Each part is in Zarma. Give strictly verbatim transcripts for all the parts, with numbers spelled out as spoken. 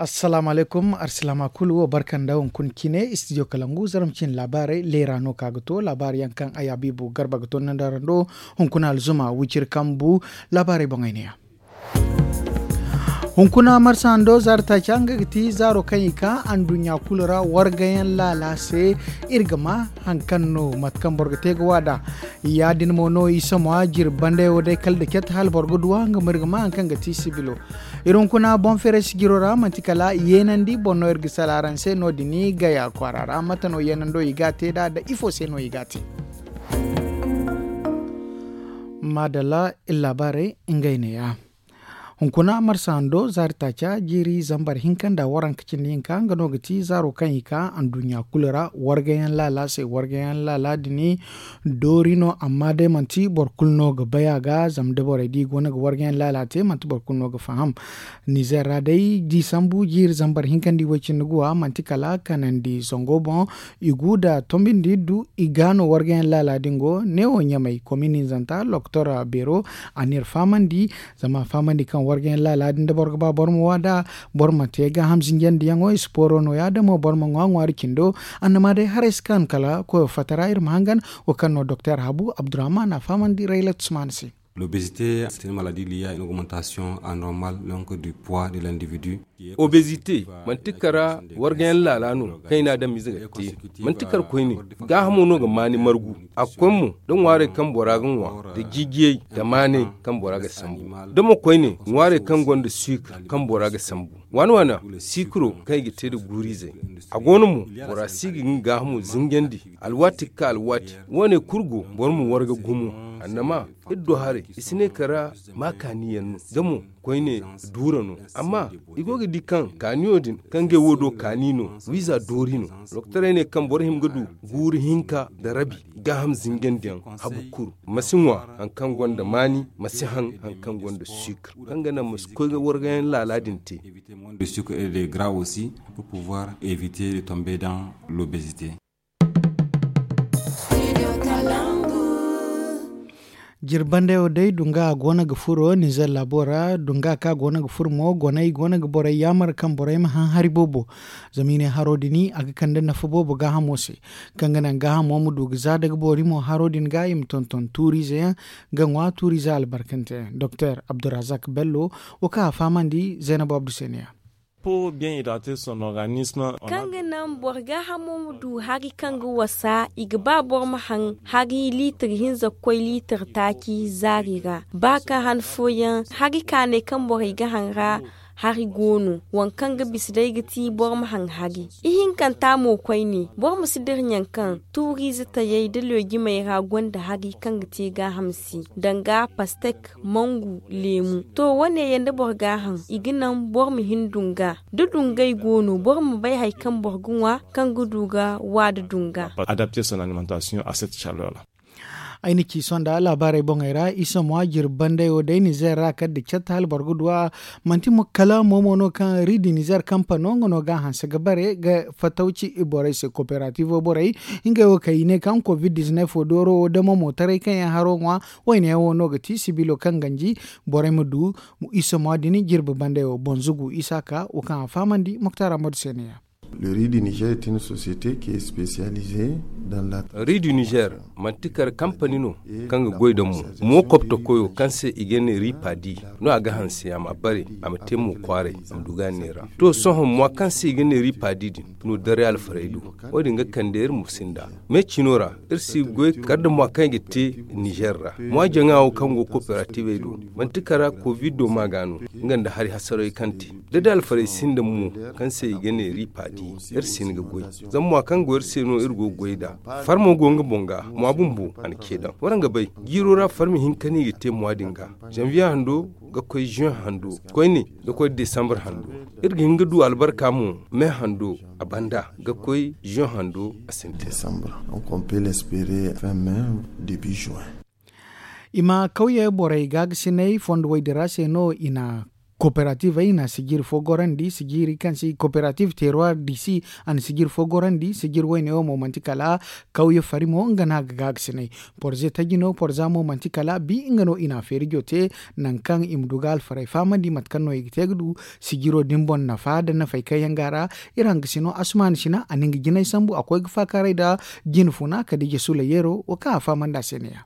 Assalaamu alaykum arsilaama kulu wo barka nda hunkuna cine istidiyo kalangu zarma cine laabaarey leera no ka ga to laabaari yaŋ kaŋ ay habiibu garba ga to nda rando. Hunkuna alzuma wiciri kambu laabaarey boŋ ay ne ya. Hunkuna marsa hando zaari taaca nga ga ti zaaro kaŋ i ka anduɲɲa kulu ra wargayaŋ laala se. Iri ga ma haŋ kaŋ no mate kaŋ boro ga te ga waada. Ya- din mo no isa mo a jiri banda yaŋ wo day kala da cette hala boro ga duw'a nga ma iri ga ma haŋ kaŋ ga ti sibilo. Iri hunkuna boŋ feeray sijiro ra manti kala yeenandi boŋ no iri ga sala araŋ se no- din gaya kwaara ra mate no yeenando i ga a te nd'a da ifo se no i ga a te? Maadalla iri laabaarey ngey neeya. Hunkuna marsa hando zaari taaca jiiri zambar hinka nda waranka cindi hinka nga no ga ti zaaro kaŋ i ka anduɲɲa kulu ra wargayaŋ laala se wargayaŋ laala din doori no amma day manti boro kulu no ga bay a ga zama da borey di go no ga wargayaŋ laala te manti boro kulu no ga faham. Nizer ra day diisambu jiiri zambar hinka nda i way cindi guwa manti kala kanandi zango boŋ. I gu nda tombindi du i ga no wargayaŋ laala din go neewo ɲamay komin hinzanta loktor beero a n'iri fahamandi. Zama a fahamandi kaŋ wargayaŋ laala din da boro ga ba boro ma waada boro ma te gaaham zinjandiyaŋo isporo no- ya da mo boro ma ŋwa ŋwaari cindo. Annama day haray si kaanu kala koyo fatta ra iri ma hangan. Wo kaŋ no doktor habu abdurrahman a fahamandi raylat usman se. L'obésité c'est une maladie liée à une augmentation anormale donc du poids de l'individu. Obésité manti kara wargayaŋ laala no kaŋ i n'a daŋ mize ga te. Manti kar koyne gaahamo no ga maani margu. A ga koy mo da ŋwaarey kaŋ bora ga ŋwa da jiijiyey da maaney kaŋ bora ga sambu da mo koyne ŋwaarey kaŋ gonda suukar kaŋ bora ga sambu. Waana waana siikaro kaŋ i ga te nda guuriizey. A go no mo bora si ga nga gaahamo zinjandi alwaati ga ka alwaati. Wo- ne kulu go boro ma warga gumo. Annama iri do haray i si ne kara ma kaaniyaŋ no da mo koyne duura no. Amma i go ga di kaŋ kaaniyo din kaŋ ngey wo do kaani no wiiza doori no. Doktorey ne kaŋ boro hima ga du guuru hinka nda rabi gaaham zinjandiyaŋ habu kuru. Ma si ŋwa hari kaŋ gonda maani ma si haŋ hari kaŋ gonda suukar kaŋ ga naŋ ma si koy ga wargayaŋ laala din te. De sucre et de gras aussi pour pouvoir éviter de tomber dans l'obésité. Jiri bandayo day dunga a go no ga furo ninzeer laabo ra dunga kaŋ a go no ga furo mo goney go no ga borey yaamar kaŋ borey ma haŋ hari boobo. Zama i ne haro din a ga kande nafa boobo gaahamo se kaŋ ga naŋ gaahamo ma du ga za daga boori mo haro din ga i ma tonton tuuriize yaŋ ga ŋwa tuuriize albarkante yaŋ doktor abdulrazak bello. Wo kaŋ a fahamandi zaynab abdu se ne ya. Kaŋ ga naŋ boro gaahamo ma du hari kaŋ ga wasa i ga ba boro ma haŋ hari liitir hinza ga koy liitir taaci zaari ra. Ba kaŋ han fooyaŋ hari kaanay kaŋ borey ga haŋ ra hari go no waŋ kaŋ ga bisa day ga ti boro ma haŋ hari. Ihinkanta mo koyne boro ma si dira ɲaŋ kaŋ tuuriize tayey nda leejimey ra gonda hari kaŋ ga te gaaham se danga pastek mangu leemu. To wo- ne yaŋ da boro ga a haŋ i ga naŋ boro ma hin dunga da dungay go no boro ma bay hari kaŋ boro ga ŋwa kaŋ ga du ga wa da dunga. Adapter son alimentation à cette chaleur là. Ay na ci sonda laabaarey boŋey ra isa mo a jiri banday wo day nizeer ra kala da catta hala boro ga du a. Manti mo kala mo mo no kaŋ ridi nizeer kampano nga no ga a hanse ga bare ga fatawci borey se kooperatiivo borey. Ngey wo kaŋ i ne kaŋ covid diznef wo dooro wo damo mo taray kaŋ yaŋ haro ŋwa. Wayne yaŋ wo no ga ti sibilo kaŋ ganji borey ma du isa mo a din jirbi banday wo bonzugu isa ka wo kaŋ a fahamandi moktar amadu se ne ya. Le riz du niger est une société qui est spécialisée dans la. Riz du niger manti kar kampani no kaŋ ga goy da mo mo kopto koyo kaŋ se i ga ne riz padi no a ga hanse a ma bare a ma te mo kwaaray a ma du ga ne ra. To sohõ mo kaŋ se i ga ne riz padi din no dare alfaray do. Wo- din ga kande iri mo sinda me cino ra iri si goy kar da mo kaŋ i ga te niger ra mo jaŋa wo kaŋ go kooperativey do. Manti kara covid do ma ga no nga nda hari hasaray kaŋ te da da alfarey sinda mo kaŋ se i ga ne ripa di. Iri si ni ga goy zama mo kaŋ go iri se no iri go goy da farmo go nga boŋ ga mo bumbo a na ce daŋ waraŋ ga bay jiiro ra farmi hinka no i ga te mo din ga. Janvier hando ga koy juin hando koyne ga koy decembre hando. Iri ga hin ga du albarka mo me hando a banda ga koy juin hando a sintin. Décembre donc on peut l'espérer fin mai début juin. I ma kawye borey gaagasinay fondo woy din ra se no i na Kooperativey na sijiri fo gorandi sijiri kaŋ se kooperativ teeruwar disi. A na sijiri fo gorandi sijiri wayne wo mo manti kala kawye fari mo nga no a ga gaagasinay. Porze taji no porza mo manti kala bi nga no i na a feerijo te. Nangu kaŋ i ma du ga alfarey fahamandi mate kaŋ no i ga te ga du sijiro din boŋ nafa nda nafey kaŋ yaŋ go a ra. Iri hangasino asumaani sina a na nga jinay sambu a koy ga faakaaray nda jine funa kala da i je sula yeero wo kaŋ a fahamandi a se ne- ya.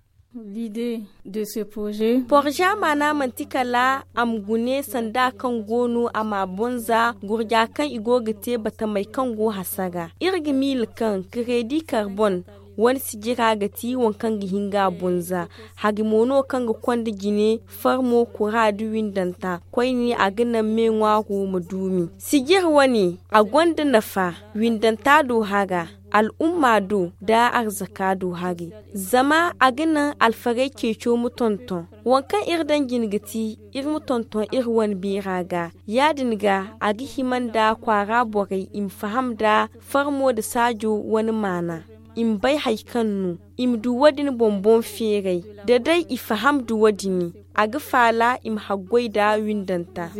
Porza maana manti kala a ma gune sanda kaŋ go no a ma a bonza gurja kaŋ i go ga te batamey kaŋ go hasara iri ga miila kaŋ kareedi karbon wane sijira ga ti waŋ kaŋ ga hin ga a bonza. Hari mo no kaŋ ga konda jine farmo kura nda windanta koyne a ga naŋ me ŋwaaro ma duumi sijir wane a gonda nafa. Windanta do hara al'umma do nda arzaka do hari zama a ga naŋ alfarey ceeco ma tonton. Waŋ kaŋ iri daŋ jine ga ti iri ma tonton iri wane beera ga. Ya- din ga a ga hima nda kwaara borey i ma faham nda farmo nda saajo wane maana. I ma bay hari kaŋ no i ma du wo- din boŋ boŋ feeray. Da day i faham nda wo- din a ga faala i ma haggoy nda windanta.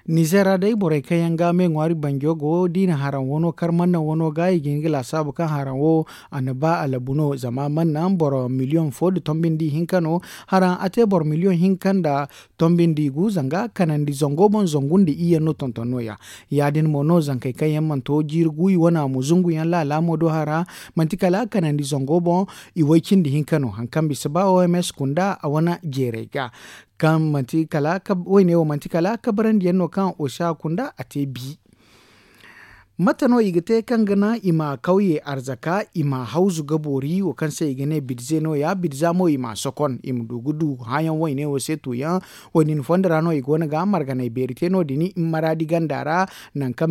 Nizeer ra day borey kaŋ yaŋ ga me ŋwaari banjo go da i na haraŋ wano kar mannaŋ wano ga i ga hin ga laasaabu kaŋ haraŋ wo a na ba alabu no zama mannaŋ boro miliyoŋ fo nda tombindi hinka no. Haraŋ a te boro miliyoŋ hinka nda tombindi gu zanga kanandi zango boŋ zangu nda iyyaŋ no tonton no- ya. Ya- din mo no zankey kaŋ yaŋ mana to jiiri gu i wane a mo zungu yaŋ laala mo do hara manti kala kanandi zango boŋ. I way cindi hinka no hari kaŋ bisa ba oms kunda a wane jeerey ga. Kaŋ manti kala wayne wo manti kala kabarandi yaŋ no kaŋ osa kunda a te bi. Mate no i ga te kaŋ ga naŋ i ma kawye arzaka i ma hawzu ga boori wo kaŋ se i ga ne bidze no- ya bidza mo i ma a sokon i ma du ga du hããyaŋ wayne wo se tuuyaŋ. Wo- din fondo ra no i go no ga marganey beeri te no- din i ma maraadi ganda ra. Nangu kaŋ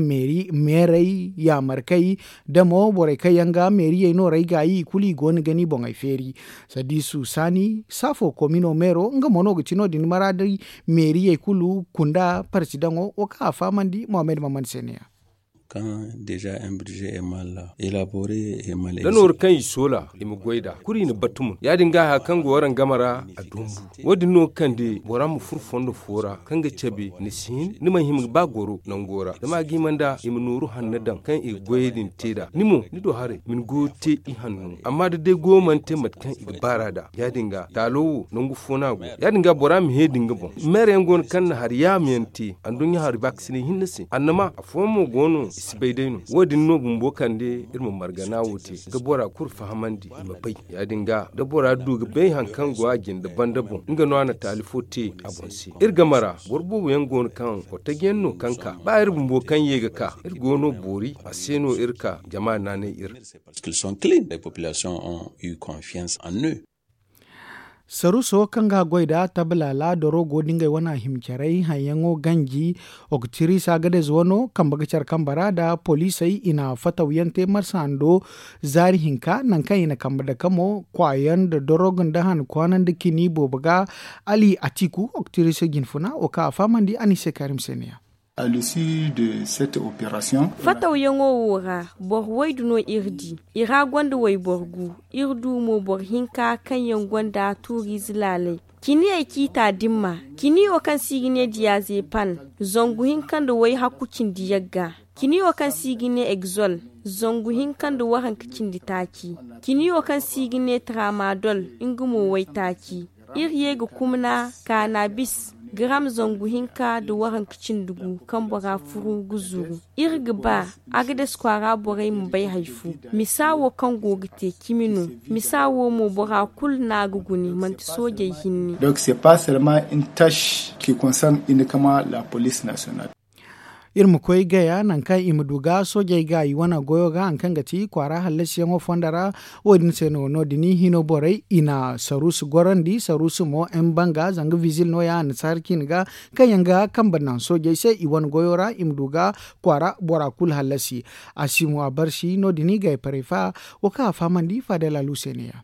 meerey yaamarkey da mo borey kaŋ yaŋ ga meeriyey no rey gaayi i kulu i go no ga ni boŋey feeri. Sadiisu saani saafo komino meero nga mo no ga ti no- din maraadi meeriyey kulu kunda parsidaŋo wo kaŋ a fahamandi mohamed maman se ne- ya. Da nooru kaŋ i soola i ma goy nd'a kulu i na battumun ya- din ga haya kaŋ go waraŋ game ra. A dumbu wo- din no ga kande bora ma furo fondo fo ra kaŋ ga cabe ni si hin ni mana hima ga ba goro nango ra zama a ga hima nd'a i ma nooru hanno daŋ kaŋ i ga goyey din te nd'a ni mo ni do haray ma ni goyo te i hanno. Amma da day goyo mana te mate kaŋ i ga baar'a nd'a ya- din ga taalo wo nangu fo no a go ya- din ga bora ma heedi nga boŋ. Meera yaŋ go no kaŋ na hari yaama yaŋ te anduɲɲa hari baakasinay hinne se annama afooyaŋ mo go no i si bay day no wo- din no bumbo kande iri ma margana wo te ga bora kulu fahamandi i ma bay. Ya- din ga da bora du ga bay hari kaŋ go a jinde banda boŋ nga no a na taali fo te a boŋ se. Iri game ra boro boobo yaŋ go no kaŋ kotajiyaŋ no kaŋ ka ba iri bumbo kaŋ ye ga ka iri go no boori a se no iri ka jama naanay iri. Saruuso kaŋ ga a goy nd'a tabalaala doro go da ngey wane a hima caray haŋyaŋo ganji. Oktirisa gadez wano kambe ga care kambe ra nda poliisey i na fatawyaŋ te marsa hando zaari hinka nangu kaŋ i na kambe dake mo kwaayaŋ nda dorog nda han kwaana nda kini boobo ga. Ali atiku oktirisa jinfuna wo kaŋ a fahamandi a na i se kaarim se ne- ya. Fatawyaŋo wo ra boro waydu no iri di. I ra gonda wayboro gu. Iri du mo boro hinka kaŋ yaŋ gonda tuuriize laalay. Ciniyey ciita dimma. Cini wo kaŋ se i ga ne diyaazepan, zangu hinka nda wayhakku cindi yagga. Cini wo kaŋ se i ga ne egzol, zangu hinka nda waranka cindi taaci. Cini wo kaŋ se i ga ne tramadol, nga mo waytaaci. Iri ye ga kumna kaanabis garam zangu hinka nda waranka cindi gu kaŋ bora furu ga zuru. Iri ga ba agades kwaara borey ma bay hari fo. Misa wo kaŋ go ga te cimi no. Misa wo mo bora kulu no a ga gune manti soojey hinne. Donc c'est pas seulement une tâche qui concerne uniquement la police nationale. Iri ma koy gaya nangu kaŋ i ma du ga soojey ga i wane goyo ga hari kaŋ ga ti kwaara hallasiyaŋo fondo ra. Wo- din se no no- din hino borey i na saruusu gorandi saruusu mo mbanga zanga vizil no- ya annasaara ciine ga kaŋ yaŋ ga kambe naŋ soojey se i wane goyo ra i ma du ga kwaara bora kulu hallasi. A si mo a barsi no- din i gay parefa wo kaŋ a fahamandi faadalalu se ne- ya.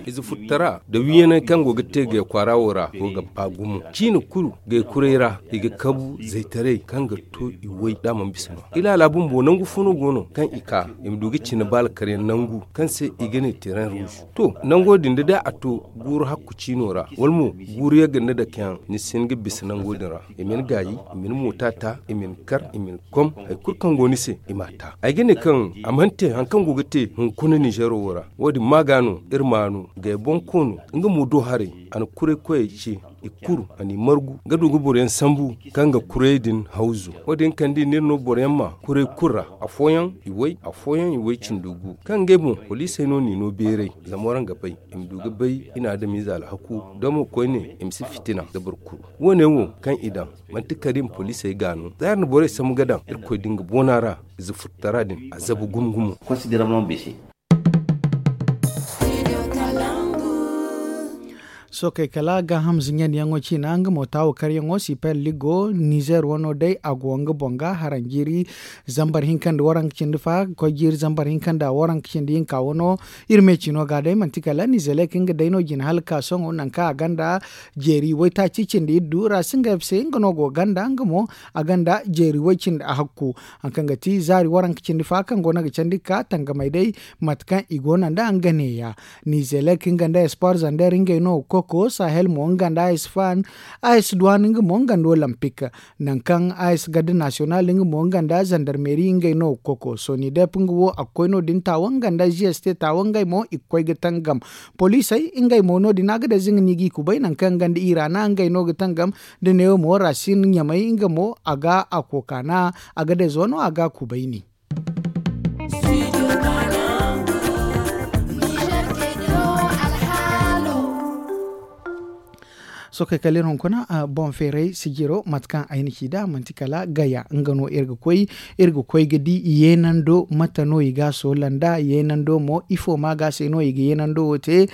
Ize futtara da wiyanay kaŋ go ga te gay kwaara wo ra go ga ba gumo ciina kulu gay kuray ra i ga kabu zaytaray kaŋ ga to i way da a mana bisa no. Ilaala bumbo nangu fo no go no kaŋ i ka i ma du ga cine baala karyaŋ nangu kaŋ se i ga ne teren ruusu. To nango din da day a to guuru hakku ciino ra wala mo guuru yagga nda dakeyaŋ ni si hin ga bisa nango din ra. I ma ni gaayi, i ma ni moota ta, i ma ni kar, i ma ni kom, hari kulu kaŋ go ni se i m'a ta. Ay ga ne kaŋ a mana te hari kaŋ go ga te hunkuna ninzeero wo ra. Wo- din maaga no iri ma no gay boŋ koono nga mo do haray. A na kuray koyey ce i kuru a n'i margu ga du ga boroyaŋ sambu kaŋ ga kuray din hawzu. Wo- din kande i n'iri no boroyaŋ ma kuray kulu ra. Afooyaŋ i way afooyaŋ i way cindi gu kaŋ ngey boŋ poliisey no n'i no beeray. Zama waraŋ ga bay i ma du ga bay i na adamiize alhaku damo koyne i ma si fitina da boro kulu. Wo- ne wo kaŋ i daŋ manti kala i ma poliisey ga no za iri na borey sambu ga daŋ irkoy din ga boona ra. Ize futtara din a zabu gumo gumo. Sookey kala gaaham zinjandiyaŋo ciina nga mo taawo karyaŋo siper ligo nizer wano day a go nga boŋ ga haranjiiri zambar hinka nda waranka cindi fa koy jiiri zambar hinka nda waranka cindi hinka wano. Iri me ciino ga day manti kala nizelek nga day no jina hala ka sohõ nangu kaŋ a ganda jeeri waytaaci cindi iddu ra si ngey se nga no go ganda nga mo a ganda jeeri way cindi a hakku. Hari kaŋ ga ti zaari waranka cindi fa kaŋ go no ga candi ga ka tangamey day mate kaŋ i go no nda nga neeya. Nizelek nga nda espoir zander ngey no ga koko sahel mo nga nda a s fan a s duwan nga mo nga nda olimpik. Nangu kaŋ a s garde nasiyonal nga mo nga nda zandarmeri ngey no ga koko sonidep nga wo a ga koy no- din taawo nga nda g s t taawo ngey mo i ga koy ga tangam. Poliisey ngey mo no- din a ga day za nga no i g'i kubay nangu kaŋ nga nda irana ngey no ga tangam. Da neewo mo ra si ɲamay nga mo a ga a kookaana a ga day zo no a ga a kubayni. Sookey kala iri hunkuna boŋ feeray sijiro mate kaŋ ay na ci nd'a manti kala gaya nga no iri ga koy. Iri ga koy ga di yeenando mate no i ga a soola nd'a yeenando mo ifo ma ga se no i ga yeenando wo te.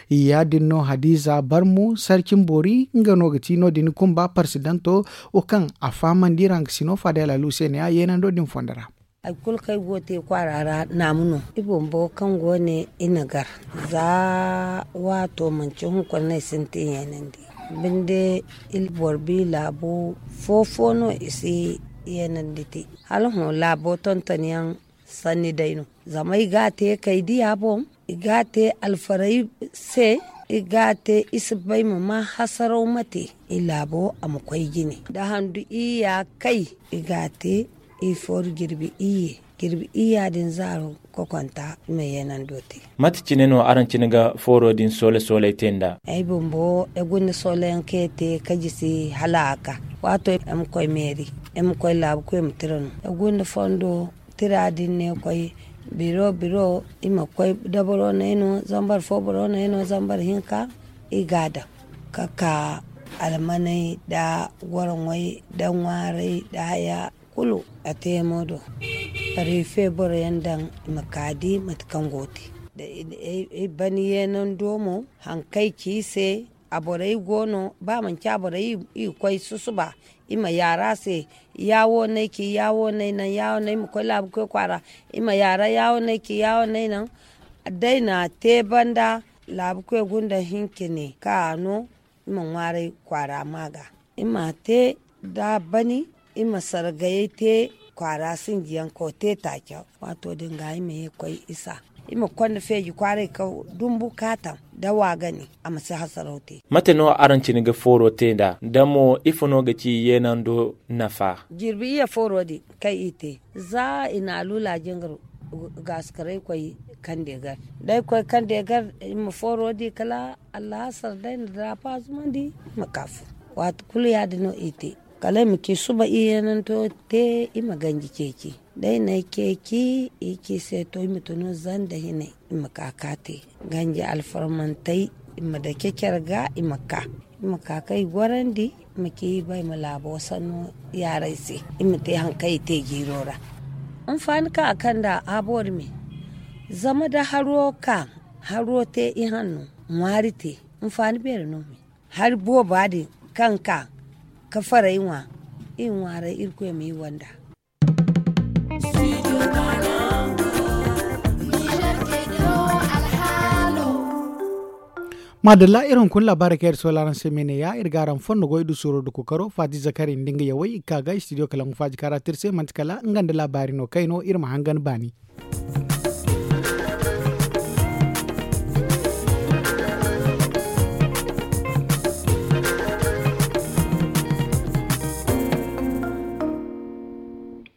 Ya- din no hadiza barmu sarcin boori nga no ga ti no- din kumba parsidanto wo kaŋ a fahamandi rangasino fadel alu se ne- ya yeenando din fondo ra. Hari kulu kaŋ ay go ga te kwaara ra naamu no. I bumbo kaŋ go ne i na gar za waato manci hunkuna no ay sintin yeenandi. Binde boro bi laabo fo- fo no i si yeenandi te. Hala hõ laabo tontonyaŋ sanni day no. Zama i ga a te kay diya boŋ, i ga a te alfaray se, i ga a te i si bay ma ma hasaraw ma te. I laabo a ma koy jine da handu iyya kay. I ga a te i fooru jirbi iyye. Jirbi iyya din zaaro kokonta i ma yeenando te. Mate cine no araŋ cine ga fooro din soole sooley te nd'a? Ay bumbo ay gonda soolayaŋ kaŋ ay te ka jisi hala a ka. Waato ay ma koy meeri ay ma koy laabu koy ma tira no. Ay gonda fondo tira din ne koy biro biro i ma koy dabaro no ay no zambar fo boro no ay no zambar hinka. I ga a daŋ ka ka almaney nda goroŋey nda ŋwaarey nda haya kulu a te mo do. Riife boroyaŋ daŋ i ma ka di mate kaŋ go ga te. Ay ban yeenando mo haŋ kaŋ ay ci i se. A borey go no ba manci a borey i ga koy susuba i ma yaara se. Ya wo no ay ci ya wo no ay naŋ ya wo no ay ma koy laabu koy kwaara. I ma yaara ya wo no ay ci ya wo no ay naŋ. Da ay na a te banda laabu koy gunda hinka ne kaŋ a no. I ma ŋwaaray kwaara ma ga i ma a te da a bani. I ma sargayey te kwaara sinjiyaŋ ka te taaca. Waato din ga i ma ye ga koy isa i ma konda feeji kwaaray ka dumbu kaataŋ da waagani a ma si hasaraw te. Mate no araŋ cine ga fooro te nd'a da mo ifo no ga ci yeenando nafa? Jirbi iyye fooro din kaŋ i te za i na a luula jingar gaasikaray koy kande gar da ay koy kande gar i ma fooro di kala allahasar da ay na daafa zumandi i ma ka fu. Waati kulu ya- din no i te kala i ma ci suba i yeenanto te i ma ganji ceeci. Da ay na ay ceeci i ci se to i ma tunu zanda hinay i ma ka ka te ganji alfarmantey. I ma dake care ga i ma ka i ma ka kaŋ i gorandi i ma ci i ba i ma laabo sanno yaaray se. I ma te haŋ kaŋ i te jiiro ra. Hinfaani kaŋ a kand'a a boori me zama da haro ka haro te i hanno ŋwaari te. Hinfaani beeri no me hari booba din kaŋ ka ka faray ŋwa. I ŋwaaray irkoy ma i wanda. Maadalla, iri hunkuna laabaarey kaŋ iri soola araŋ se me ne- ya iri ga araŋ fondo goy nda suuro nda kookaro faati zakari nda nga yawey i ga ka ga istidiyo kala nga faaji kaara te iri se manti kala nga nda laabaari no kayno iri ma hangan baani.